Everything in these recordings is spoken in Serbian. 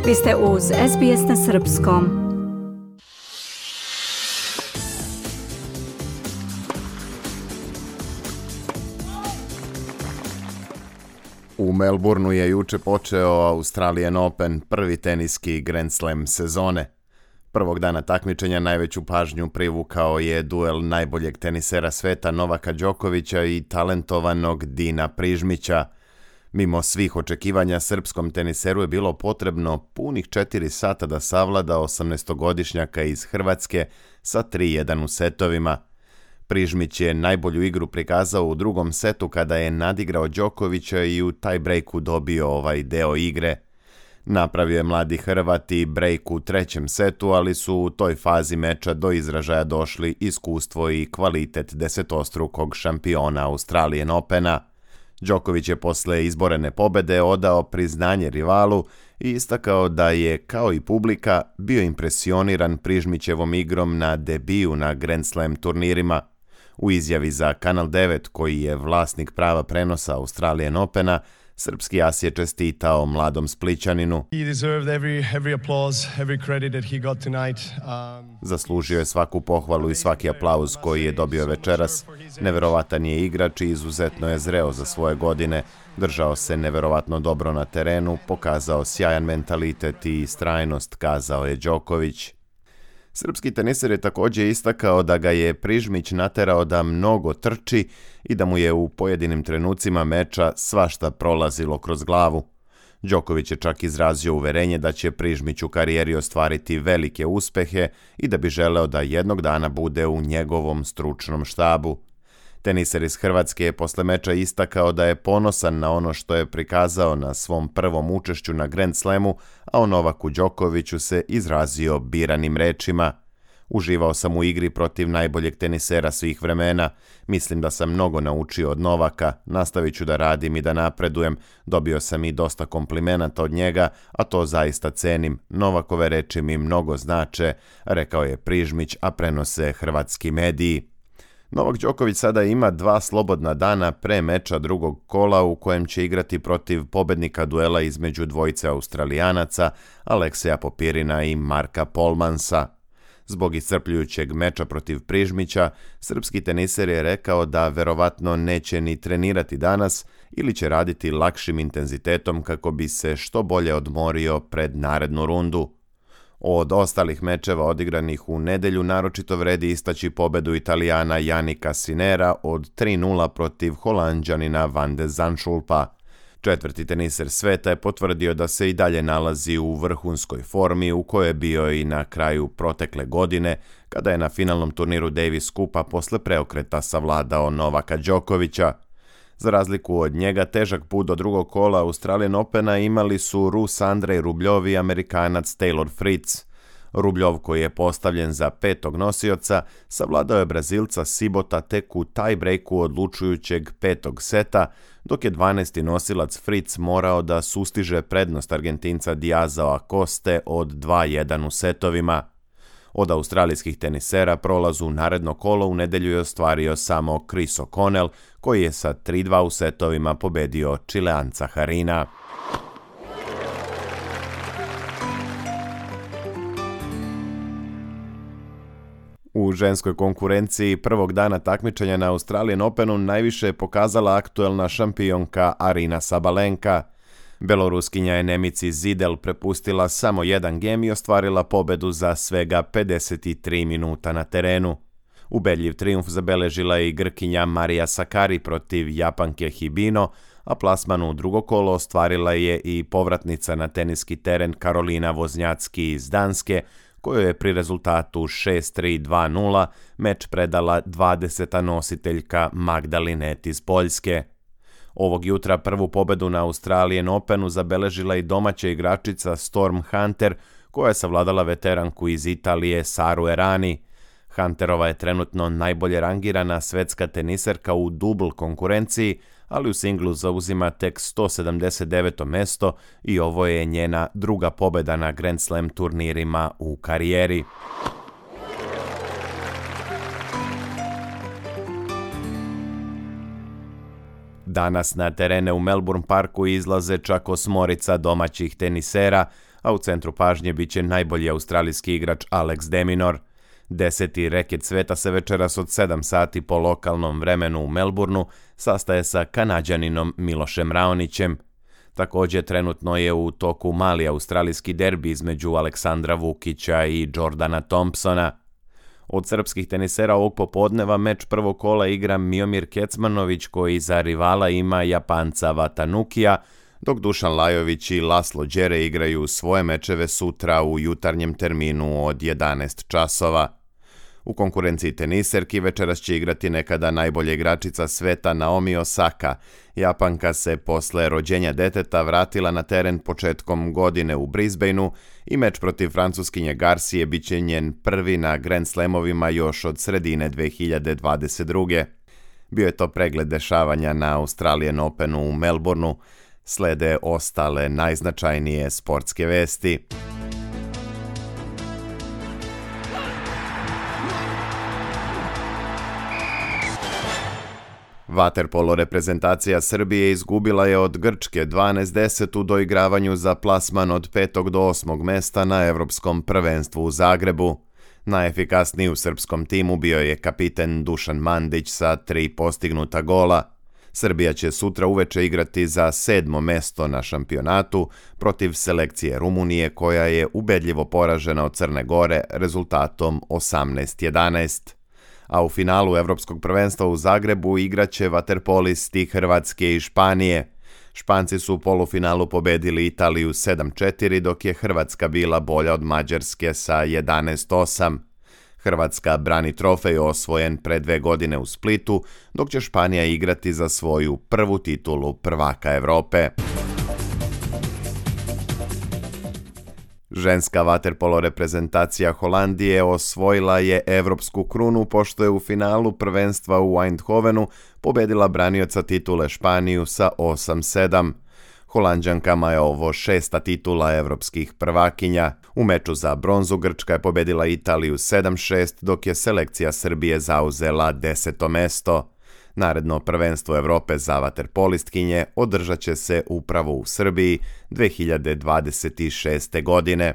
Vi ste uz SBS na srpskom. U Melbourneu je juče počeo Australian Open, prvi teniski Grand Slam sezone. Prvog dana takmičenja najveću pažnju privukao je duel najboljeg tenisera sveta Novaka Đokovića i talentovanog Dina Prižmića. Mimo svih očekivanja, srpskom teniseru je bilo potrebno punih 4 sata da savlada 18-godišnjaka iz Hrvatske sa 3-1 u setovima. Prižmić je najbolju igru prikazao u drugom setu kada je nadigrao Đokovića i u tie-breaku dobio ovaj deo igre. Napravio je mladi Hrvat i break u trećem setu, ali su u toj fazi meča do izražaja došli iskustvo i kvalitet desetostrukog šampiona Australian Opena. Đoković je posle izborene pobede odao priznanje rivalu i istakao da je, kao i publika, bio impresioniran Prižmićevom igrom na debiju na Grand Slam turnirima. U izjavi za Kanal 9, koji je vlasnik prava prenosa Australian Opena, srpski as je čestitao mladom Splićaninu. Zaslužio je svaku pohvalu i svaki aplauz koji je dobio večeras. Neverovatan je igrač i izuzetno je zreo za svoje godine. Držao se neverovatno dobro na terenu, pokazao sjajan mentalitet i istrajnost, kazao je Đoković. Srpski teniser je također istakao da ga je Prižmić naterao da mnogo trči i da mu je u pojedinim trenucima meča svašta prolazilo kroz glavu. Đoković je čak izrazio uverenje da će Prižmić u karijeri ostvariti velike uspehe i da bi želeo da jednog dana bude u njegovom stručnom štabu. Teniser iz Hrvatske je posle meča istakao da je ponosan na ono što je prikazao na svom prvom učešću na Grand Slamu, a o Novaku Đokoviću se izrazio biranim rečima. Uživao sam u igri protiv najboljeg tenisera svih vremena. Mislim da sam mnogo naučio od Novaka, nastavit ću da radim i da napredujem. Dobio sam i dosta komplimenata od njega, a to zaista cenim. Novakove reči mi mnogo znače, rekao je Prižmić, a prenose hrvatski mediji. Novak Đoković sada ima 2 slobodna dana pre meča drugog kola u kojem će igrati protiv pobednika duela između dvojice Australijanaca, Alekseja Popirina i Marka Polmansa. Zbog iscrpljujućeg meča protiv Prižmića, srpski teniser je rekao da verovatno neće ni trenirati danas ili će raditi lakšim intenzitetom kako bi se što bolje odmorio pred narednu rundu. Od ostalih mečeva odigranih u nedelju naročito vredi istaći pobedu Italijana Jannika Sinnera od 3-0 protiv Holanđanina Van de Zandschulpa. Četvrti teniser sveta je potvrdio da se i dalje nalazi u vrhunskoj formi u kojoj je bio i na kraju protekle godine, kada je na finalnom turniru Davis Cupa posle preokreta savladao Novaka Đokovića. Za razliku od njega, težak put do drugog kola Australian Opena imali su Rus Andrej Rubljov i Amerikanac Taylor Fritz. Rubljov, koji je postavljen za 5. nosioca, savladao je Brazilca Sibota tek u tie-breaku odlučujućeg 5. seta, dok je 12. nosilac Fritz morao da sustiže prednost Argentinca Diazao Acoste od 2-1 u setovima. Od australijskih tenisera prolaz u naredno kolo u nedelju je ostvario samo Chris O'Connell, koji je sa 3-2 u setovima pobedio Čileanca Harina. U ženskoj konkurenciji prvog dana takmičenja na Australian Openu najviše je pokazala aktuelna šampionka Arina Sabalenka. Beloruskinja je Nemici Zidel prepustila samo jedan gem i ostvarila pobedu za svega 53 minuta na terenu. Ubedljiv trijumf zabeležila je i Grkinja Marija Sakari protiv Japanke Hibino, a plasman u drugo kolo ostvarila je i povratnica na teniski teren Karolina Voznjacki iz Danske, kojoj je pri rezultatu 6-3-2-0 meč predala 20. nositeljka Magda Linette iz Poljske. Ovog jutra prvu pobedu na Australian Openu zabeležila i domaća igračica Storm Hunter, koja je savladala veteranku iz Italije Saru Errani. Hunterova je trenutno najbolje rangirana svetska teniserka u dubl konkurenciji, ali u singlu zauzima tek 179. mesto i ovo je njena druga pobeda na Grand Slam turnirima u karijeri. Danas na terene u Melbourne Parku izlaze čak 8 domaćih tenisera, a u centru pažnje bit će najbolji australijski igrač Alex de Minaur. 10. reket sveta se večeras od 7 sati po lokalnom vremenu u Melbourneu sastaje sa Kanađaninom Milošem Raonićem. Također trenutno je u toku mali australijski derbi između Aleksandra Vukića i Jordana Thompsona. Od srpskih tenisera ovog popodneva meč prvog kola igra Miomir Kecmanović koji za rivala ima Japanca Watanukija, dok Dušan Lajović i Laslo Đere igraju svoje mečeve sutra u jutarnjem terminu od 11 časova. U konkurenciji teniserki večeras će igrati nekada najbolja igračica sveta Naomi Osaka. Japanka se posle rođenja deteta vratila na teren početkom godine u Brisbaneu i meč protiv francuskinje Garcije bit će njen prvi na Grand Slamovima još od sredine 2022. Bio je to pregled dešavanja na Australian Openu u Melbourneu. Slede ostale najznačajnije sportske vesti. Vaterpolo reprezentacija Srbije izgubila je od Grčke 12-10 u doigravanju za plasman od 5. do 8. mesta na Evropskom prvenstvu u Zagrebu. Najefikasniji u srpskom timu bio je kapiten Dušan Mandić sa 3 postignuta gola. Srbija će sutra uveče igrati za 7. mesto na šampionatu protiv selekcije Rumunije koja je ubedljivo poražena od Crne Gore rezultatom 18-11. A u finalu Evropskog prvenstva u Zagrebu igraće vaterpolisti Hrvatske i Španije. Španci su u polufinalu pobedili Italiju 7-4, dok je Hrvatska bila bolja od Mađarske sa 11-8. Hrvatska brani trofej osvojen pre 2 godine u Splitu, dok će Španija igrati za svoju prvu titulu prvaka Evrope. Ženska vaterpolo reprezentacija Holandije osvojila je evropsku krunu pošto je u finalu prvenstva u Eindhovenu pobedila branioca titule Španiju sa 8-7. Holanđankama je ovo 6. titula evropskih prvakinja. U meču za bronzu Grčka je pobedila Italiju 7-6, dok je selekcija Srbije zauzela 10. mesto. Naredno prvenstvo Evrope za vaterpolistkinje održat će se upravo u Srbiji 2026. godine.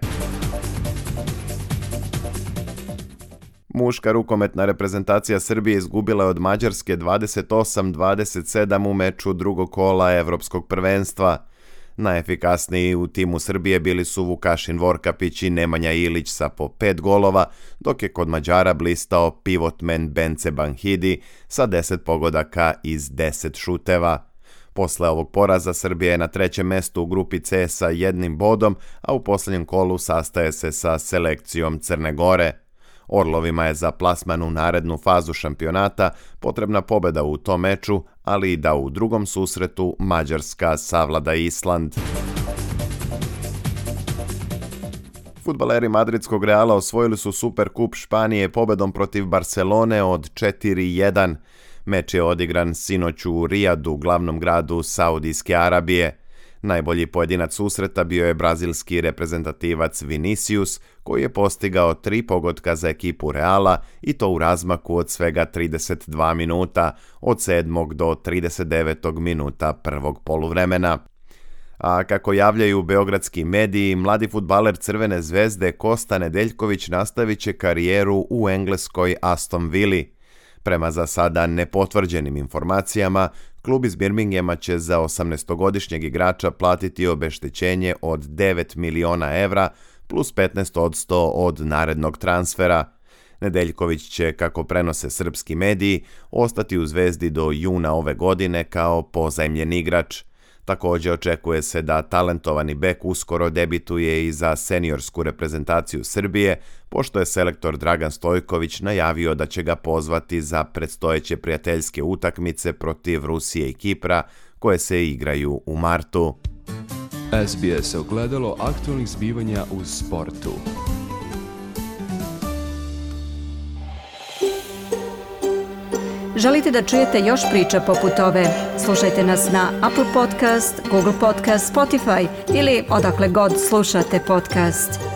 Muška rukometna reprezentacija Srbije izgubila je od Mađarske 28-27 u meču drugog kola Evropskog prvenstva. Najefikasniji u timu Srbije bili su Vukašin Vorkapić i Nemanja Ilić sa po 5 golova, dok je kod Mađara blistao pivotmen Bence Banhidi sa 10 pogodaka iz 10 šuteva. Posle ovog poraza Srbija je na 3. mestu u grupi C sa 1 bodom, a u posljednjem kolu sastaje se sa selekcijom Crne Gore. Orlovima je za plasman u narednu fazu šampionata potrebna pobjeda u tom meču, ali i da u drugom susretu Mađarska savlada Island. Fudbaleri madridskog Reala osvojili su Superkup Španije pobedom protiv Barcelone od 4-1. Meč je odigran sinoć u Rijadu, glavnom gradu Saudijske Arabije. Najbolji pojedinac susreta bio je brazilski reprezentativac Vinicius, koji je postigao 3 pogotka za ekipu Reala i to u razmaku od svega 32 minuta, od 7. do 39. minuta prvog poluvremena. A kako javljaju beogradski mediji, mladi fudbaler Crvene zvezde Kosta Nedeljković nastavit će karijeru u engleskoj Aston Villi. Prema za sada nepotvrđenim informacijama, klub iz Birminghama će za 18-godišnjeg igrača platiti obeštećenje od 9 miliona evra plus 15% od narednog transfera. Nedeljković će, kako prenose srpski mediji, ostati u Zvezdi do juna ove godine kao pozajmljen igrač. Također očekuje se da talentovani bek uskoro debituje i za seniorsku reprezentaciju Srbije, pošto je selektor Dragan Stojković najavio da će ga pozvati za predstojeće prijateljske utakmice protiv Rusije i Kipra, koje se igraju u martu. SBS ogledalo aktualnih zbivanja u sportu. Želite da čujete još priča poput ove? Slušajte nas na Apple Podcast, Google Podcast, Spotify ili odakle god slušate podcast.